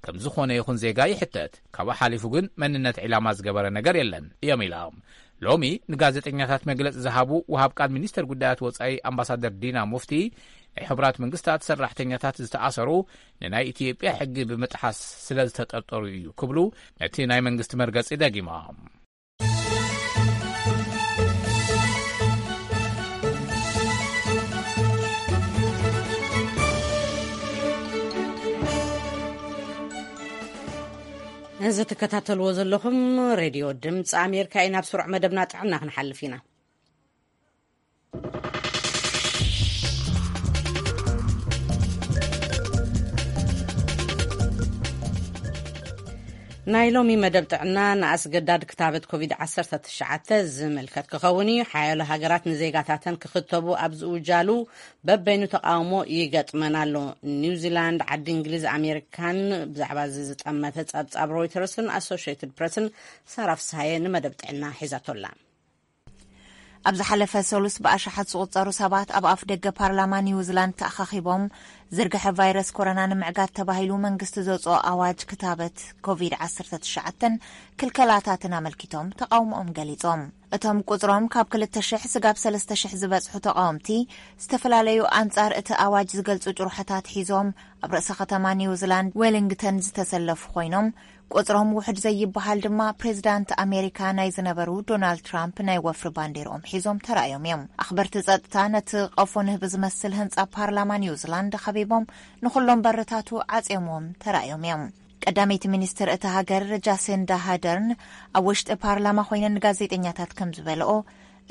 ከም ዝኾነ ይኹን ዜጋ ይሕተት። ካብኡ ሓሊፉ ግን መንነት ዒላማ ዝገበረ ነገር የለን እዮም ኢሎም። ሎሚ ንጋዜጠኛታት መግለጺ ዝሃቡ ወሃብ ቃል ሚኒስተር ጉዳያት ወጻኢ ኣምባሳደር ዲና ሙፍቲ፣ ናይ ሕቡራት መንግስታት ሰራሕተኛታት ዝተኣሰሩ ንናይ ኢትዮጵያ ሕጊ ብምጥሓስ ስለ ዝተጠርጠሩ እዩ ክብሉ ነቲ ናይ መንግስቲ መርገጺ ደጊሞም። እዚ ትከታተልዎ ዘለኹም ሬድዮ ድምፂ ኣሜሪካ እዩ። ናብ ስሩዕ መደብና ጥዕና ክንሓልፍ ኢና። ናይ ሎሚ መደብ ጥዕና ንኣስገዳድ ክታበት ኮቪድ ዓሰርተ ትሽዓተ ዝምልከት ክኸውን እዩ። ሓያሎ ሃገራት ንዜጋታተን ክኽተቡ ኣብ ዝውጃሉ በበይኑ ተቃውሞ ይገጥመን ኣሎ። ኒውዚላንድ፣ ዓዲ እንግሊዝ፣ ኣሜሪካን ብዛዕባ እዚ ዝጠመተ ጸብጻብ ሮይተርስን ኣሶሽየትድ ፕረስን ሳራ ፍስሃየ ንመደብ ጥዕና ሒዛቶላ። ኣብ ዝሓለፈ ሰሉስ ብኣሽሓት ዝቑጸሩ ሰባት ኣብ ኣፍ ደገ ፓርላማ ኒውዚላንድ ተኣኻኺቦም፣ ዝርግሐ ቫይረስ ኮሮና ንምዕጋት ተባሂሉ መንግስቲ ዘውጽኦ ኣዋጅ ክታበት ኮቪድ ዓሰርተ ትሽዓተን ክልከላታትን ኣመልኪቶም ተቓውሞኦም ገሊጾም። እቶም ቁጽሮም ካብ ክልተ ሽሕ ስጋብ ሰለስተ ሽሕ ዝበጽሑ ተቓወምቲ፣ ዝተፈላለዩ ኣንጻር እቲ ኣዋጅ ዝገልጹ ጭርሖታት ሒዞም ኣብ ርእሰ ከተማ ኒውዚላንድ ዌሊንግተን ዝተሰለፉ ኮይኖም፣ ቁጽሮም ውሑድ ዘይበሃል ድማ ፕሬዚዳንት ኣሜሪካ ናይ ዝነበሩ ዶናልድ ትራምፕ ናይ ወፍሪ ባንዴርኦም ሒዞም ተራእዮም እዮም። ኣኽበርቲ ጸጥታ ነቲ ቀፎ ንህቢ ዝመስል ህንጻ ፓርላማ ኒውዚላንድ ከቢቦም ንኹሎም በርታቱ ዓጽዮምዎም ተራእዮም እዮም። ቀዳመይቲ ሚኒስትር እታ ሃገር ጃሲንዳ ሃደርን ኣብ ውሽጢ ፓርላማ ኮይነን ንጋዜጠኛታት ከም ዝበልኦ፣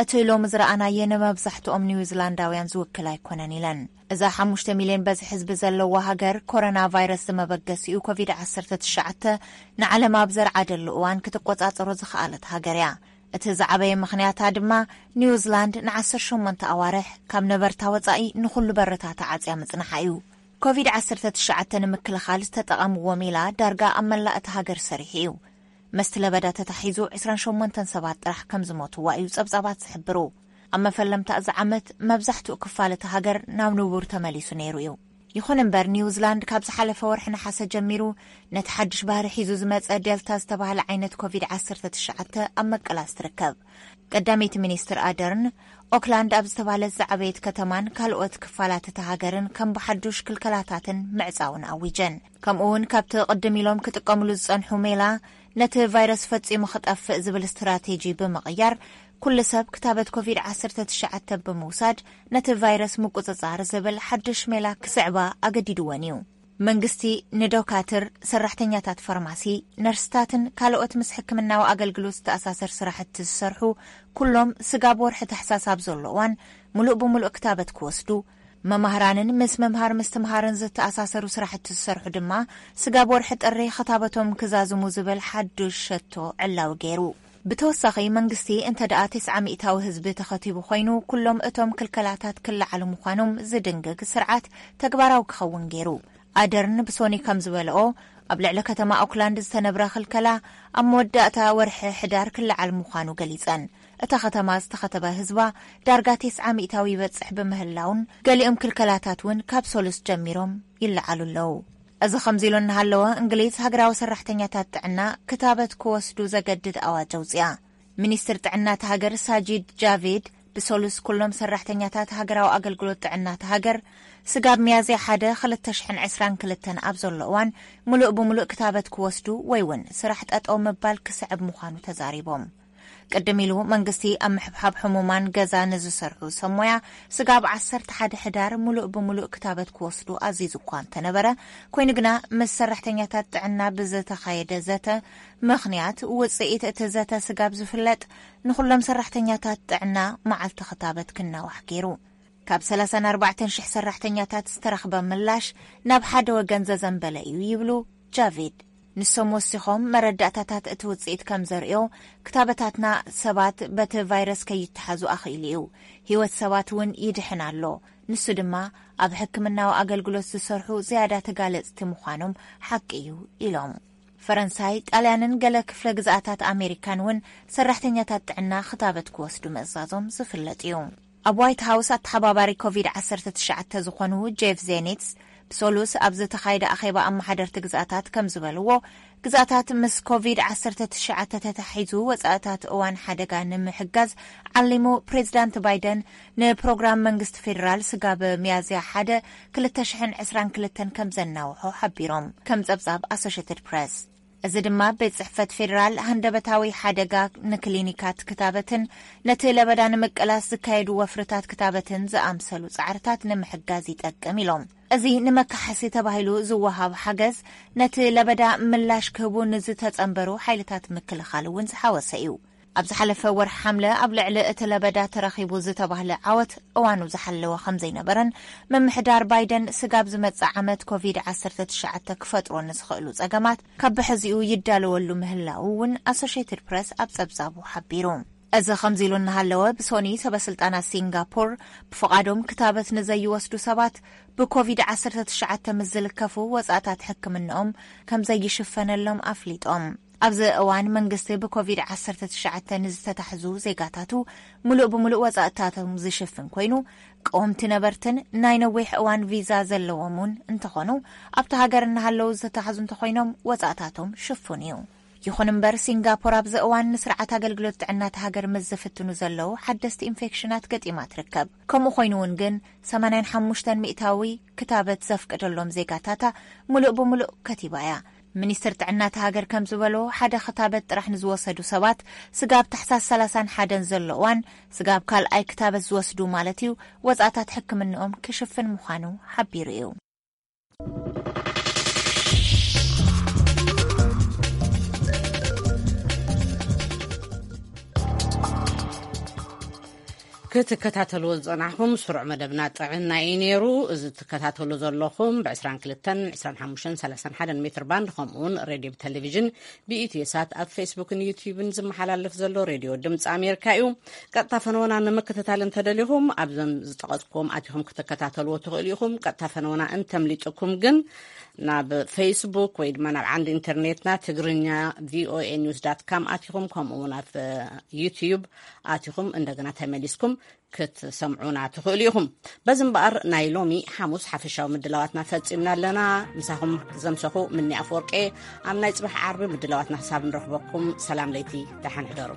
እቲ ሎሚ ዝረኣናዮ ንመብዛሕትኦም ኒውዚላንዳውያን ዝውክል ኣይኮነን ኢለን። እዛ ሓሙሽተ ሚልዮን በዝሒ ህዝቢ ዘለዋ ሃገር፣ ኮሮና ቫይረስ ዝመበገሲኡ ኮቪድ ዓሰርተ ትሽዓተ ንዓለም ኣብ ዘርዓደሉ እዋን ክትቆጻጸሮ ዝኸኣለት ሃገር እያ። እቲ ዝዓበየ ምኽንያታ ድማ ኒውዚላንድ ንዓሰርተ ሸሞንተ ኣዋርሕ ካብ ነበርታ ወጻኢ ንኹሉ በርታ ተዓጽያ ምጽናሓ እዩ። ኮቪድ ዓሰርተ ትሽዓተ ንምክልኻል ዝተጠቐምዎ ሜላ ዳርጋ ኣብ መላእ እታ ሃገር ሰሪሑ እዩ። መስቲ ለበዳ ተታሒዙ ዕስራን ሸሞንተን ሰባት ጥራሕ ከም ዝሞትዋ እዩ ጸብጻባት ዝሕብሩ። ኣብ መፈለምታ እዚ ዓመት መብዛሕትኡ ክፋል እታ ሃገር ናብ ንቡር ተመሊሱ ነይሩ እዩ። ይኹን እምበር ኒውዚላንድ ካብ ዝሓለፈ ወርሒ ነሓሰ ጀሚሩ ነቲ ሓድሽ ባህሪ ሒዙ ዝመጸ ዴልታ ዝተባህለ ዓይነት ኮቪድ ዓሰርተ ትሽዓተ ኣብ መቀላስ ትርከብ። ቀዳመይቲ ሚኒስትር ኣደርን ኦክላንድ ኣብ ዝተባህለት ዝዓበየት ከተማን ካልኦት ክፋላት እታ ሃገርን ከም ብሓዱሽ ክልከላታትን ምዕጻውን ኣዊጀን። ከምኡ እውን ካብቲ ቅድም ኢሎም ክጥቀምሉ ዝጸንሑ ሜላ ነቲ ቫይረስ ፈጺሙ ክጠፍእ ዝብል ስትራቴጂ ብምቕያር፣ ኩሉ ሰብ ክታበት ኮቪድ ዓሰርተ ትሽዓተ ብምውሳድ ነቲ ቫይረስ ምቁጽጻር ዝብል ሓድሽ ሜላ ክስዕባ ኣገዲድወን እዩ። መንግስቲ ንዶካትር፣ ሰራሕተኛታት ፋርማሲ፣ ነርስታትን ካልኦት ምስ ሕክምናዊ ኣገልግሎት ዝተኣሳሰር ስራሕቲ ዝሰርሑ ኩሎም ስጋብ ወርሒ ታሕሳስ ኣብ ዘሎ እዋን ምሉእ ብምሉእ ክታበት ክወስዱ፣ መማህራንን ምስ ምምሃር ምስትምሃርን ዝተኣሳሰሩ ስራሕቲ ዝሰርሑ ድማ ስጋብ ወርሒ ጥሪ ክታበቶም ክዛዝሙ ዝብል ሓዱሽ ሸቶ ዕላዊ ገይሩ። ብተወሳኺ መንግስቲ እንተ ደኣ ተስዓ ሚእታዊ ህዝቢ ተኸቲቡ ኮይኑ ኩሎም እቶም ክልከላታት ክለዓሉ ምዃኖም ዝድንግግ ስርዓት ተግባራዊ ክኸውን ገይሩ። ኣደርን ብሶኒ ከም ዝበልኦ፣ ኣብ ልዕሊ ከተማ ኦክላንድ ዝተነብረ ክልከላ ኣብ መወዳእታ ወርሒ ሕዳር ክለዓል ምዃኑ ገሊጸን። እታ ከተማ ዝተኸተበ ህዝባ ዳርጋ ተስዓ ሚእታዊ ይበጽሕ ብምህላውን ገሊኦም ክልከላታት እውን ካብ ሰሉስ ጀሚሮም ይለዓሉ ኣለዉ። እዚ ከምዚ ኢሉ እናሃለወ፣ እንግሊዝ ሃገራዊ ሰራሕተኛታት ጥዕና ክታበት ክወስዱ ዘገድድ ኣዋጅ ኣውጽኣ። ሚኒስትር ጥዕና እታ ሃገር ሳጂድ ጃቪድ ብሰሉስ ኩሎም ሰራሕተኛታት ሃገራዊ ኣገልግሎት ጥዕና እታ ሃገር ስጋብ ሚያዝያ ሓደ ክልተ ሽሕን ዕስራን ክልተን ኣብ ዘሎ እዋን ምሉእ ብምሉእ ክታበት ክወስዱ ወይ እውን ስራሕ ጠጠው ምባል ክስዕብ ምዃኑ ተዛሪቦም። ቅድም ኢሉ መንግስቲ ኣብ ምሕብሓብ ሕሙማን ገዛ ንዝሰርሑ ሰብ ሞያ ስጋብ ዓሰርተ ሓደ ሕዳር ምሉእ ብምሉእ ክታበት ክወስዱ ኣዚዙ እኳ እንተነበረ፣ ኮይኑ ግና ምስ ሰራሕተኛታት ጥዕና ብዝተኻየደ ዘተ ምኽንያት ውጽኢት እቲ ዘተ ስጋብ ዝፍለጥ ንኹሎም ሰራሕተኛታት ጥዕና መዓልቲ ክታበት ክናዋሕ ገይሩ። ካብ ሰላሳን ኣርባዕተን ሽሕ ሰራሕተኛታት ዝተረኽበ ምላሽ ናብ ሓደ ወገን ዘዘንበለ እዩ ይብሉ ጃቪድ። ንሶም ወሲኾም መረዳእታታት እቲ ውጽኢት ከም ዘርእዮ ክታበታትና ሰባት በቲ ቫይረስ ከይተሓዙ ኣኽኢሉ እዩ። ህይወት ሰባት እውን ይድሕን ኣሎ። ንሱ ድማ ኣብ ሕክምናዊ ኣገልግሎት ዝሰርሑ ዝያዳ ተጋለጽቲ ምዃኖም ሓቂ እዩ ኢሎም። ፈረንሳይ፣ ጣልያንን ገለ ክፍለ ግዝኣታት ኣሜሪካን እውን ሰራሕተኛታት ጥዕና ክታበት ክወስዱ ምእዛዞም ዝፍለጥ እዩ። ኣብ ዋይት ሃውስ ኣተሓባባሪ ኮቪድ ዓሰርተ ትሽዓተ ዝኾኑ ጄፍ ዜኒትስ ብሰሉስ ኣብ ዝተኻየደ ኣኼባ ኣመሓደርቲ ግዝኣታት ከም ዝበልዎ፣ ግዝኣታት ምስ ኮቪድ ዓሰርተ ትሽዓተ ተታሒዙ ወጻእታት እዋን ሓደጋ ንምሕጋዝ ዓሊሙ ፕሬዚዳንት ባይደን ንፕሮግራም መንግስቲ ፌዴራል ስጋብ ሚያዝያ ሓደ ክልተ ሽሕን ዕስራን ክልተን ከም ዘናውሖ ሓቢሮም፣ ከም ጸብጻብ ኣሶሽትድ ፕረስ። እዚ ድማ ቤት ጽሕፈት ፌዴራል ሃንደበታዊ ሓደጋ ንክሊኒካት ክታበትን ነቲ ለበዳ ንምቅላስ ዝካየዱ ወፍርታት ክታበትን ዝኣምሰሉ ጻዕርታት ንምሕጋዝ ይጠቅም ኢሎም። እዚ ንመካሓሲ ተባሂሉ ዝወሃብ ሓገዝ ነቲ ለበዳ ምላሽ ክህቡ ንዝተጸንበሩ ሓይልታት ምክልኻል እውን ዝሓወሰ እዩ። ኣብ ዝሓለፈ ወርሒ ሓምለ ኣብ ልዕሊ እቲ ለበዳ ተረኺቡ ዝተባህለ ዓወት እዋኑ ዝሓለወ ከም ዘይነበረን፣ ምምሕዳር ባይደን ስጋብ ዝመጽእ ዓመት ኮቪድ ዓሰርተ ትሽዓተ ክፈጥሮ ንዝኽእሉ ጸገማት ካብ ብሕዚኡ ይዳለወሉ ምህላዉ እውን ኣሶሽየትድ ፕረስ ኣብ ጸብጻቡ ሓቢሩ። እዚ ከምዚ ኢሉ እናሃለወ፣ ብሶኒ ሰበስልጣናት ሲንጋፖር ብፍቓዶም ክታበት ንዘይወስዱ ሰባት ብኮቪድ ዓሰርተ ትሽዓተ ምስ ዝልከፉ ወጻእታት ሕክምንኦም ከም ዘይሽፈነሎም ኣፍሊጦም። ኣብዚ እዋን መንግስቲ ብኮቪድ ዓሰርተ ትሽዓተ ንዝተታሕዙ ዜጋታቱ ምሉእ ብምሉእ ወጻእታቶም ዝሽፍን ኮይኑ፣ ቀወምቲ ነበርትን ናይ ነዊሕ እዋን ቪዛ ዘለዎም እውን እንተኾኑ፣ ኣብቲ ሃገር እናሃለዉ ዝተታሕዙ እንተኾይኖም ወጻእታቶም ሽፉን እዩ። ይኹን እምበር፣ ሲንጋፖር ኣብዚ እዋን ንስርዓት ኣገልግሎት ጥዕና እታ ሃገር ምስ ዝፍትኑ ዘለዉ ሓደስቲ ኢንፌክሽናት ገጢማ ትርከብ። ከምኡ ኮይኑ እውን ግን፣ ሰማንያን ሓሙሽተን ሚእታዊ ክታበት ዘፍቀደሎም ዜጋታታ ምሉእ ብምሉእ ከቲባ እያ። ሚኒስትር ጥዕና እታ ሃገር ከም ዝበሎ፣ ሓደ ክታበት ጥራሕ ንዝወሰዱ ሰባት ስጋብ ታሕሳስ ሰላሳን ሓደን ዘሎ እዋን፣ ስጋብ ካልኣይ ክታበት ዝወስዱ ማለት እዩ፣ ወጻእታት ሕክምንኦም ክሽፍን ምዃኑ ሓቢሩ እዩ። ክትከታተልዎ ዝጸናሕኩም ስሩዕ መደብና ጥዕና እዩ ነይሩ። እዚ ትከታተሉ ዘለኹም ብ ዕስራን ክልተን፣ ዕስራን ሓሙሽተን፣ ሰላሳን ሓደን ሜትር ባንድ፣ ከምኡ እውን ሬድዮ ብቴሌቪዥን ብኢትዮ ሳት ኣብ ፌስቡክን ዩትዩብን ዝመሓላለፍ ዘሎ ሬድዮ ድምፂ ኣሜሪካ እዩ። ቀጥታ ፈነወና ንምክትታል እንተደሊኹም ኣብዞም ዝጠቐስኩም ኣቲኹም ክትከታተልዎ ትኽእሉ ኢኹም። ቀጥታ ፈነወና እንተምሊጥኩም ግን ናብ ፌስቡክ ወይ ድማ ናብ ዓንዲ ኢንተርኔትና ትግርኛ ቪኦኤ ኒውስ ዳት ካም ኣቲኹም፣ ከምኡ እውን ኣብ ዩትዩብ ኣቲኹም እንደገና ተመሊስኩም ክትሰምዑና ትኽእሉ ኢኹም። በዚ እምበኣር ናይ ሎሚ ሓሙስ ሓፈሻዊ ምድላዋትና ፈጺምና ኣለና። ምሳኹም ዘምሰኹ ምኒ ኣፈወርቄ። ኣብ ናይ ጽባሕ ዓርቢ ምድላዋትና ክሳብ ንረኽበኩም ሰላም ለይቲ፣ ደሓን ሕደሩ።